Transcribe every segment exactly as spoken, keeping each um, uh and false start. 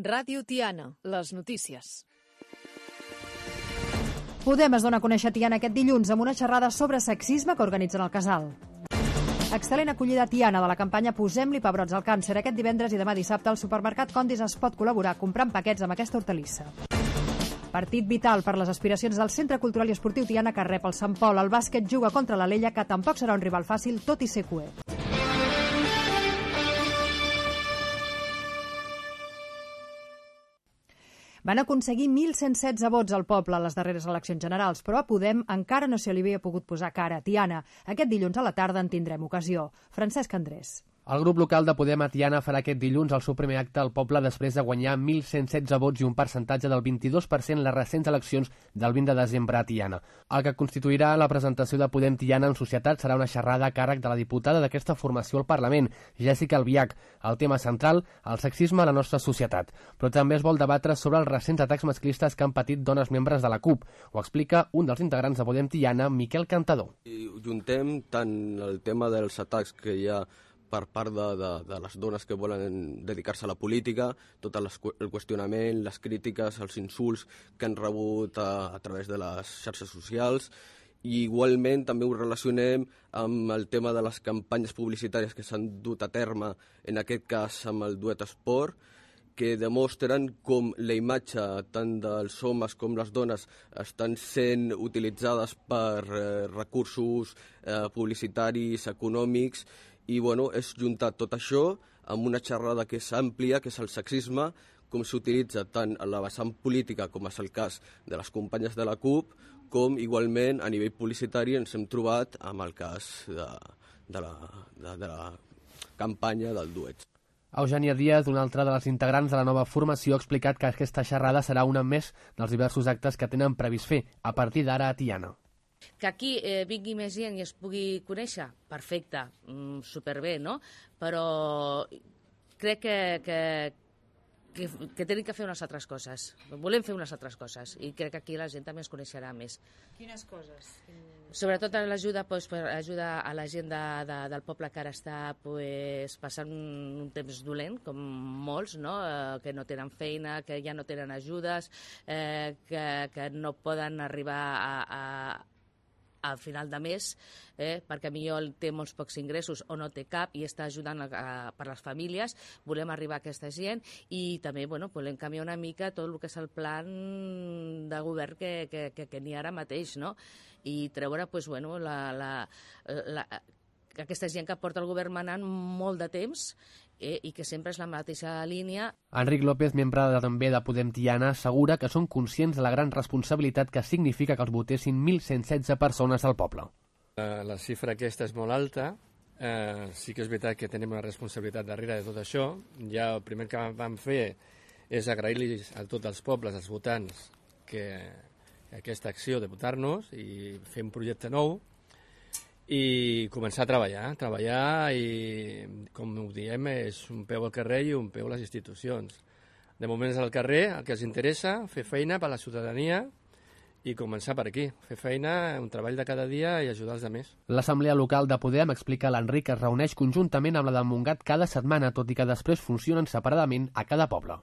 Ràdio Tiana, les notícies. Podem es dona a conèixer Tiana aquest dilluns amb una xerrada sobre sexisme que organitzen al Casal. Excel·lent acollida a Tiana de la campanya Posem-li pebrots al càncer. Aquest divendres i demà dissabte al supermercat Condis es pot col·laborar comprant paquets amb aquesta hortalissa. Partit vital per les aspiracions del Centre Cultural i Esportiu Tiana que rep el Sant Pol. El bàsquet juga contra l'Alella, que tampoc serà un rival fàcil, tot i ser cuer. Van aconseguir mil cent setze vots al poble a les darreres eleccions generals, però a Podem encara no se li havia pogut posar cara a Tiana. Aquest dilluns a la tarda en tindrem ocasió. Francesc Andrés. El grup local de Podem a Tiana farà aquest dilluns el seu primer acte al poble després de guanyar mil cent setze vots i un percentatge del vint-i-dos per cent les recents eleccions del vint de desembre a Tiana. El que constituirà la presentació de Podem Tiana en societat serà una xerrada a càrrec de la diputada d'aquesta formació al Parlament, Jèssica Albiach. El tema central, el sexisme a la nostra societat. Però també es vol debatre sobre els recents atacs masclistes que han patit dones membres de la CUP. Ho explica un dels integrants de Podem Tiana, Miquel Cantador. I juntem tant el tema dels atacs que hi ha per part de, de, de les dones que volen dedicar-se a la política, tot el, el qüestionament, les crítiques, els insults que han rebut a, a través de les xarxes socials, i igualment també ho relacionem amb el tema de les campanyes publicitàries que s'han dut a terme, en aquest cas amb el Duet Esport, que demostren com la imatge tant dels homes com les dones estan sent utilitzades per eh, recursos eh, publicitaris, econòmics, i bueno, és juntar tot això amb una xerrada que és àmplia, que és el sexisme, com s'utilitza tant a la vessant política, com és el cas de les companyes de la CUP, com igualment a nivell publicitari ens hem trobat amb el cas de, de, la, de, de la campanya del Duet. Eugènia Díaz, una altra de les integrants de la nova formació, ha explicat que aquesta xerrada serà una més dels diversos actes que tenen previst fer a partir d'ara a Tiana. Que aquí eh, vingui més gent i es pugui conèixer, perfecte, mm, superbé, no? Però crec que, que, que, que tenim que fer unes altres coses. Volem fer unes altres coses i crec que aquí la gent també es coneixerà més. Quines coses? Sobretot l'ajuda pues, per ajuda a la gent de, de, del poble que ara està pues, passant un temps dolent, com molts, no? Eh, que no tenen feina, que ja no tenen ajudes, eh, que, que no poden arribar a, a al final de mes, eh, perquè millor té molts pocs ingressos o no té cap i està ajudant a, a, per les famílies. Volem arribar a aquesta gent i també bueno, volem canviar una mica tot el que és el plan de govern que, que, que, que n'hi ha ara mateix, no? I treure pues, bueno, la, la, la, aquesta gent que porta el govern manant molt de temps Eh, i que sempre és la mateixa línia. Enric López, membre de, també de Podem Tiana, assegura que són conscients de la gran responsabilitat que significa que els votessin mil cent setze persones al poble. La, la xifra aquesta és molt alta. Eh, sí que és veritat que tenim una responsabilitat darrere de tot això. Ja el primer que vam fer és agrair-los a tots els pobles, als votants, que aquesta acció de votar-nos i fer un projecte nou i començar a treballar, treballar i, com ho diem, és un peu al carrer i un peu a les institucions. De moment és al carrer, el que els interessa, fer feina per a la ciutadania i començar per aquí, fer feina, un treball de cada dia i ajudar els altres. L'Assemblea Local de Podem, explica l'Enric, es reuneix conjuntament amb la de Montgat cada setmana, tot i que després funcionen separadament a cada poble.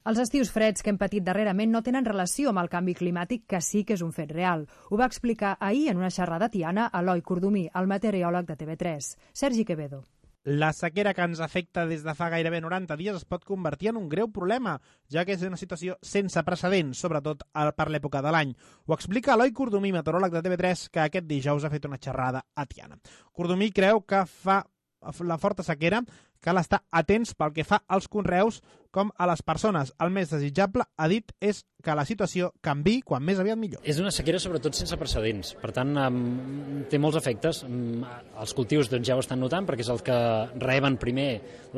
Els estius freds que hem patit darrerament no tenen relació amb el canvi climàtic, que sí que és un fet real. Ho va explicar ahir en una xerrada a Tiana Eloi Cordomí, el meteoròleg de T V tres. Sergi Quevedo. La sequera que ens afecta des de fa gairebé noranta dies es pot convertir en un greu problema, ja que és una situació sense precedents, sobretot per l'època de l'any. Ho explica Eloi Cordomí, meteoròleg de T V tres, que aquest dijous ha fet una xerrada a Tiana. Cordomí creu que fa la forta sequera cal estar atents pel que fa als conreus com a les persones. El més desitjable, ha dit, és que la situació canviï quan més aviat millor. És una sequera sobretot sense precedents, per tant um, té molts efectes. Um, els cultius doncs, ja ho estan notant perquè és el que reben primer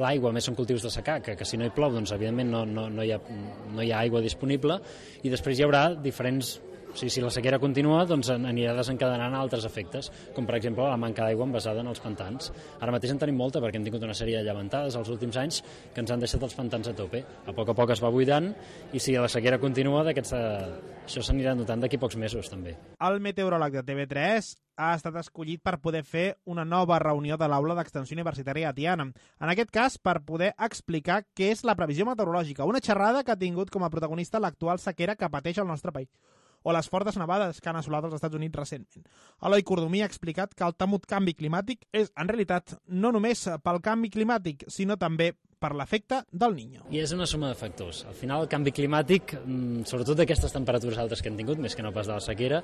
l'aigua, més són cultius de secà, que, que si no hi plou doncs evidentment no, no, no, hi ha, no hi ha aigua disponible, i després hi haurà diferents O sigui, si la sequera continua, doncs anirà desencadenant altres efectes, com per exemple la manca d'aigua envasada en els pantans. Ara mateix en tenim molta perquè hem tingut una sèrie de llevantades els últims anys que ens han deixat els pantans a tope. A poc a poc es va buidant i si la sequera continua, això s'anirà notant d'aquí pocs mesos també. El meteoròleg de T V tres ha estat escollit per poder fer una nova reunió de l'aula d'Extensió Universitària de Tiana. En aquest cas, per poder explicar què és la previsió meteorològica, una xerrada que ha tingut com a protagonista l'actual sequera que pateix el nostre país, o les fortes nevades que han assolat els Estats Units recentment. Eloi Cordomí ha explicat que el temut canvi climàtic és, en realitat, no només pel canvi climàtic, sinó també per l'efecte del Niño. I és una suma de factors. Al final, el canvi climàtic, sobretot d'aquestes temperatures altes que hem tingut, més que no pas de la sequera,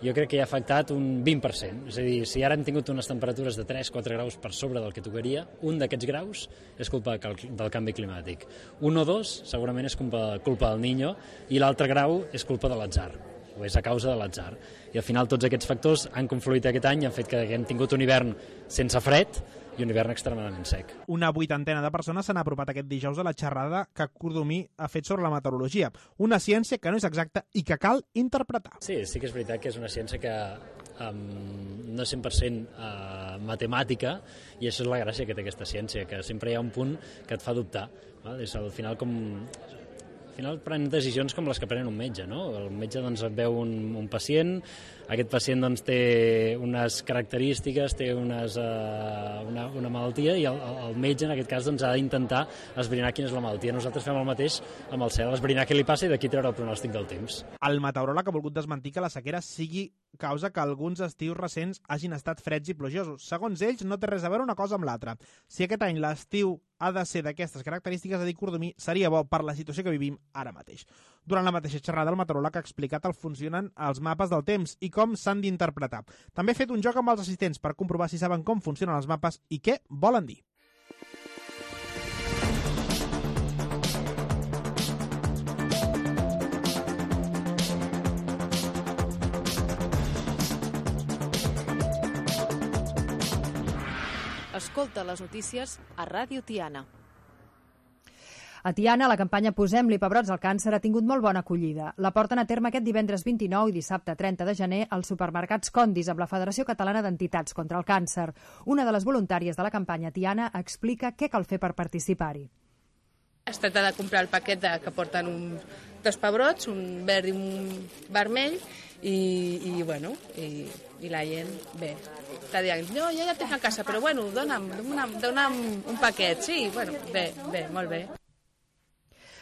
jo crec que hi ha afectat un vint per cent. És a dir, si ara hem tingut unes temperatures de tres a quatre graus per sobre del que tocaria, un d'aquests graus és culpa del canvi climàtic. Un o dos, segurament, és culpa, culpa del Niño, i l'altre grau és culpa de l'atzar, o és a causa de l'atzar. I al final tots aquests factors han confluït aquest any i han fet que hem tingut un hivern sense fred i un hivern extremadament sec. Una vuitantena de persones s'han apropat aquest dijous a la xerrada que Cordomí ha fet sobre la meteorologia, una ciència que no és exacta i que cal interpretar. Sí, sí que és veritat que és una ciència que um, no és cent per cent uh, matemàtica, i això és la gràcia que té aquesta ciència, que sempre hi ha un punt que et fa dubtar. Val? És al final com... Al final prenen decisions com les que pren un metge, no? El metge doncs, veu un, un pacient, aquest pacient doncs, té unes característiques, té unes, uh, una, una malaltia, i el, el metge en aquest cas doncs, ha d'intentar esbrinar quina és la malaltia. Nosaltres fem el mateix amb el cel, esbrinar què li passa i d'aquí treure el pronòstic del temps. El meteoròleg ha volgut desmentir que la sequera sigui causa que alguns estius recents hagin estat freds i plujosos. Segons ells, no té res a veure una cosa amb l'altra. Si aquest any l'estiu ha de ser d'aquestes característiques, a dir Cordomí, seria bo per la situació que vivim ara mateix. Durant la mateixa xerrada, el meteoròleg ha explicat el funcionen els mapes del temps i com s'han d'interpretar. També ha fet un joc amb els assistents per comprovar si saben com funcionen els mapes i què volen dir. Escolta les notícies a Ràdio Tiana. A Tiana, la campanya Posem-li pebrots al càncer ha tingut molt bona acollida. La porten a terme aquest divendres vint-i-nou i dissabte trenta de gener als supermercats Condis amb la Federació Catalana d'Entitats contra el Càncer. Una de les voluntàries de la campanya Tiana explica què cal fer per participar-hi. Es tracta de comprar el paquet de, que porten un, dos pebrots, un verd i un vermell, i, i bueno, i, i la gent, bé, està dient, no, jo ja tinc a casa, però bueno, dona'm, dona'm, dona'm un paquet, sí, bueno, bé, bé, molt bé.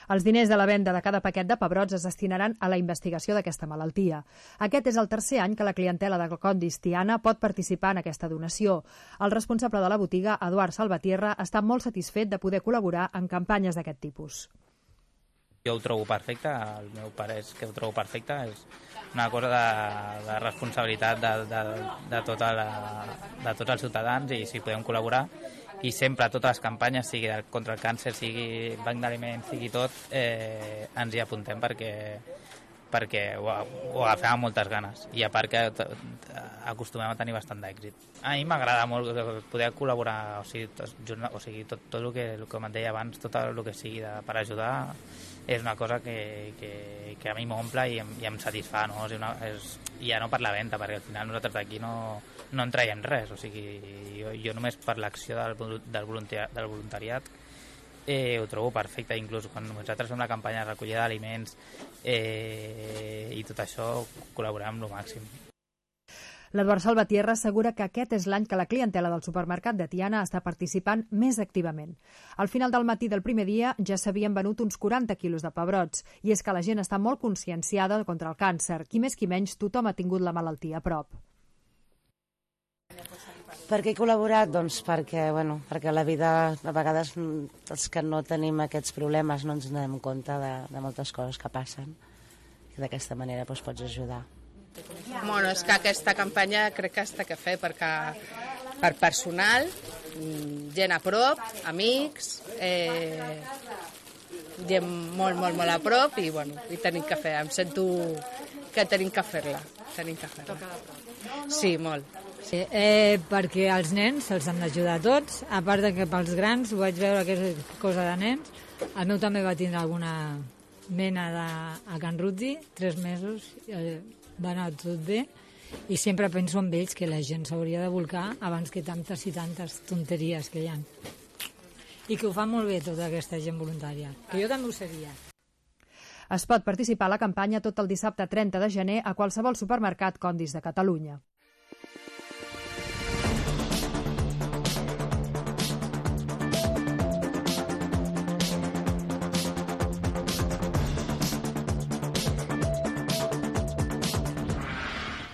Els diners de la venda de cada paquet de pebrots es destinaran a la investigació d'aquesta malaltia. Aquest és el tercer any que la clientela de Condis Tiana pot participar en aquesta donació. El responsable de la botiga, Eduard Salvatierra, està molt satisfet de poder col·laborar en campanyes d'aquest tipus. Jo ho trobo perfecte, el meu pare és que ho trobo perfecte, és una cosa de, de responsabilitat de, de, de, tota la, de tots els ciutadans, i si podem col·laborar, i sempre totes les campanyes, sigui contra el càncer, sigui banc d'aliments, sigui tot, eh, ens hi apuntem perquè, perquè ho, ho agafem amb moltes ganes, i a part que acostumem a tenir bastant d'èxit. A mi m'agrada molt poder col·laborar, o sigui, tot, o sigui, tot, tot el que, el que em deia abans, tot el que sigui de, per ajudar, és una cosa que, que, que a mi m'omple i, i em satisfà, no? És una, és, ja no per la venda, perquè al final nosaltres d'aquí no, no en traiem res, o sigui, jo, jo només per l'acció del, del, voluntariat, del voluntariat eh, ho trobo perfecte, inclús quan nosaltres fem la campanya de recollida d'aliments eh, i tot això col·laborem amb el màxim. L'Eduard Salvatierra assegura que aquest és l'any que la clientela del supermercat de Tiana està participant més activament. Al final del matí del primer dia ja s'havien venut uns quaranta quilos de pebrots, i és que la gent està molt conscienciada contra el càncer. Qui més qui menys, tothom ha tingut la malaltia a prop. Per què he col·laborat? Doncs perquè, bueno, perquè la vida, a vegades, els que no tenim aquests problemes no ens donem compte de, de moltes coses que passen, i d'aquesta manera doncs, pots ajudar. Bueno, és que aquesta campanya crec que està que fer perquè per personal, gent a prop, amics, eh, gent molt, molt, molt a prop, i bueno, i tenim que fer, em sento que tenim que fer-la, tenim que fer-la. Sí, molt. Sí, eh, perquè els nens se'ls han d'ajudar tots, a part de que pels grans ho vaig veure que és cosa de nens. El meu també va tindre alguna mena de, a Can Rutzi, tres mesos, eh, va anar tot bé, i sempre penso en ells, que la gent s'hauria de volcar abans que tantes i tantes tonteries que hi ha. I que ho fa molt bé tota aquesta gent voluntària, que jo també ho seria. Es pot participar a la campanya tot el dissabte trenta de gener a qualsevol supermercat Condis de Catalunya.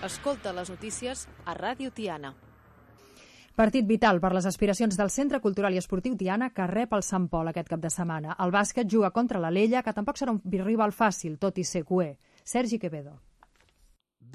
Escolta les notícies a Ràdio Tiana. Partit vital per les aspiracions del Centre Cultural i Esportiu Tiana, que rep el Sant Pol aquest cap de setmana. El bàsquet juga contra l'Alella, que tampoc serà un rival fàcil, tot i ser cué. Sergi Quevedo.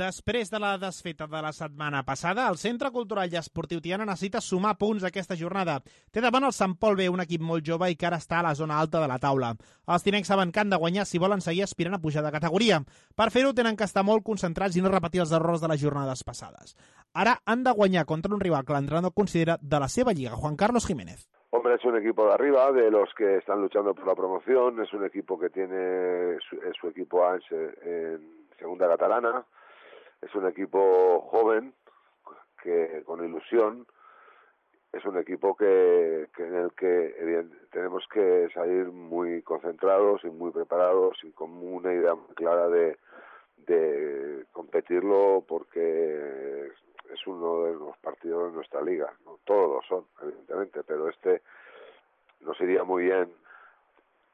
Després de la desfeta de la setmana passada, el Centre Cultural i Esportiu Tiana necessita sumar punts aquesta jornada. Té davant el Sant Pol B, un equip molt jove i que ara està a la zona alta de la taula. Els tinencs saben que han de guanyar si volen seguir aspirant a pujar de categoria. Per fer-ho tenen que estar molt concentrats i no repetir els errors de les jornades passades. Ara han de guanyar contra un rival que l'entrenador considera de la seva lliga, Juan Carlos Jiménez. Hombre, es un equipo de arriba, de los que están luchando por la promoción, es un equipo que tiene su, su equipo A en segunda catalana. Es un equipo joven, que con ilusión, es un equipo que, que en el que bien, tenemos que salir muy concentrados y muy preparados y con una idea muy clara de, de competirlo, porque es uno de los partidos de nuestra liga. No todos lo son, evidentemente, pero este nos iría muy bien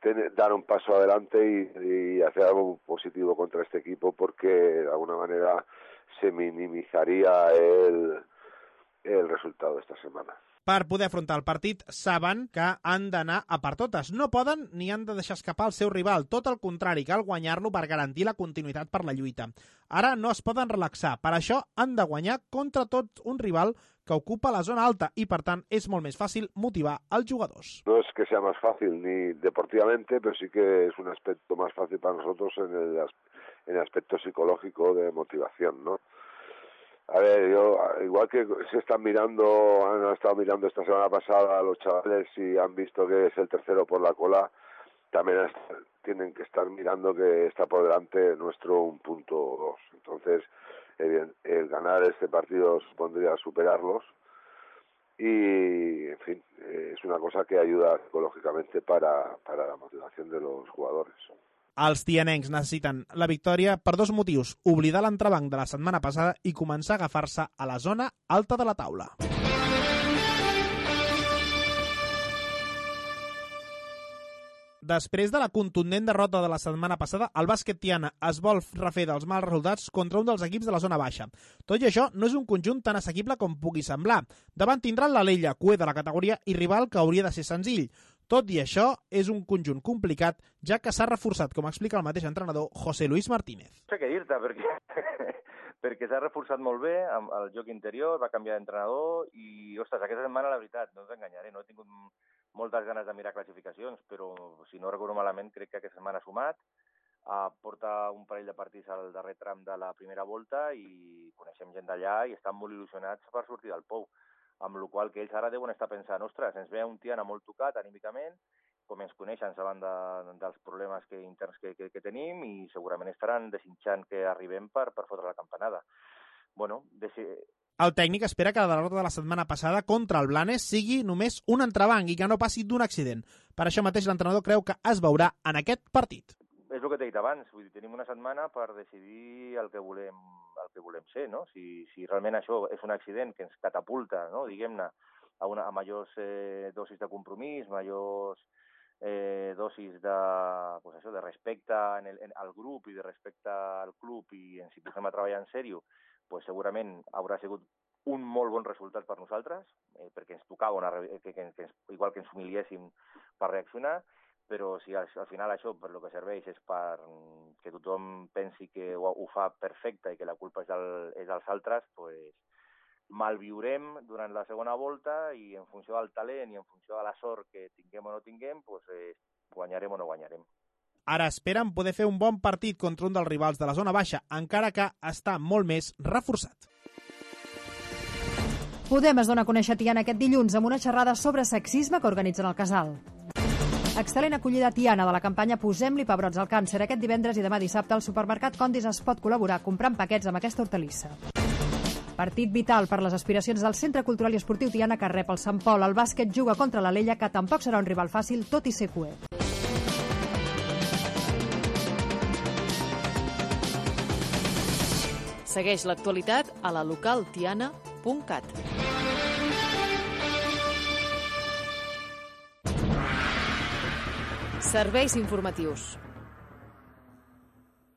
tener, dar un paso adelante y, y hacer algo positivo contra este equipo, porque de alguna manera se minimizaría el, el resultado de esta semana. Per poder afrontar el partit, saben que han d'anar a per totes. No poden ni han de deixar escapar el seu rival. Tot el contrari, cal guanyar-lo per garantir la continuïtat per la lluita. Ara no es poden relaxar. Per això han de guanyar contra tot un rival que ocupa la zona alta y, per tant, es molt més fàcil motivar als jugadors. No es que sea más fácil ni deportivamente, pero sí que es un aspecto más fácil para nosotros en el, en el aspecto psicológico de motivación, ¿no? A ver, yo, igual que se están mirando, han estado mirando esta semana pasada a los chavales y han visto que es el tercero por la cola, también es, tienen que estar mirando que está por delante nuestro un punto dos. Entonces, el, el ganar este partido supondría superarlos y, en fin, es una cosa que ayuda psicológicamente para, para la motivación de los jugadores. Els tianencs necessiten la victòria per dos motius: oblidar l'entrebanc de la setmana passada i començar a agafar-se a la zona alta de la taula. Després de la contundent derrota de la setmana passada, el bàsquet Tiana es vol refer dels mals resultats contra un dels equips de la zona baixa. Tot i això, no és un conjunt tan assequible com pugui semblar. Davant tindran l'Alella, cué de la categoria i rival que hauria de ser senzill. Tot i això, és un conjunt complicat, ja que s'ha reforçat, com explica el mateix entrenador, José Luis Martínez. No sé què dir-te, perquè, perquè s'ha reforçat molt bé amb el joc interior, va canviar d'entrenador i, ostres, aquesta setmana, la veritat, no t'enganyaré, no he tingut moltes ganes de mirar classificacions, però si no recordo malament, crec que aquesta setmana ha sumat, uh, porta un parell de partits al darrer tram de la primera volta i coneixem gent d'allà i estan molt il·lusionats per sortir del pou. Amb la qual que ells ara deuen estar pensant, ostres, ens ve un Tiana molt tocat anímicament, com ens coneixen, saben de, dels problemes que, interns que, que, que tenim i segurament estaran desitjant que arribem per, per fotre la campanada. Bueno, desi... El tècnic espera que la derrota de la setmana passada contra el Blanes sigui només un entrebanc i que no passi d'un accident. Per això mateix l'entrenador creu que es veurà en aquest partit. És el que t'he dit abans, vull dir, tenim una setmana per decidir el que volem, el que volem ser, no? Si, si realment això és un accident que ens catapulta, no? Diguem-ne, a, una, a majors eh, dosis de compromís, majors eh, dosis de, pues això, de respecte en el, en, al grup i de respecte al club i en si posem a treballar en sèrio, pues segurament haurà sigut un molt bon resultat per nosaltres, eh, perquè ens tocava, una, que, que, que ens, igual que ens humiliéssim per reaccionar, però si al, al final això per lo que serveix és per que tothom pensi que ho, ho fa perfecte i que la culpa és, del, és dels altres, pues malviurem durant la segona volta i en funció del talent i en funció de la sort que tinguem o no tinguem, pues, eh, guanyarem o no guanyarem. Ara esperen poder fer un bon partit contra un dels rivals de la zona baixa, encara que està molt més reforçat. Podem es dona a conèixer Tiana aquest dilluns amb una xerrada sobre sexisme que organitzen al Casal. Excel·lent acollida Tiana de la campanya Posem-li pebrots al càncer. Aquest divendres i demà dissabte al supermercat Condis es pot col·laborar comprant paquets amb aquesta hortalissa. Partit vital per les aspiracions del Centre Cultural i Esportiu Tiana que rep el Sant Pol. El bàsquet juga contra l'Alella, que tampoc serà un rival fàcil, tot i ser cuer. Segueix l'actualitat a la local tiana punt cat. Serveis informatius.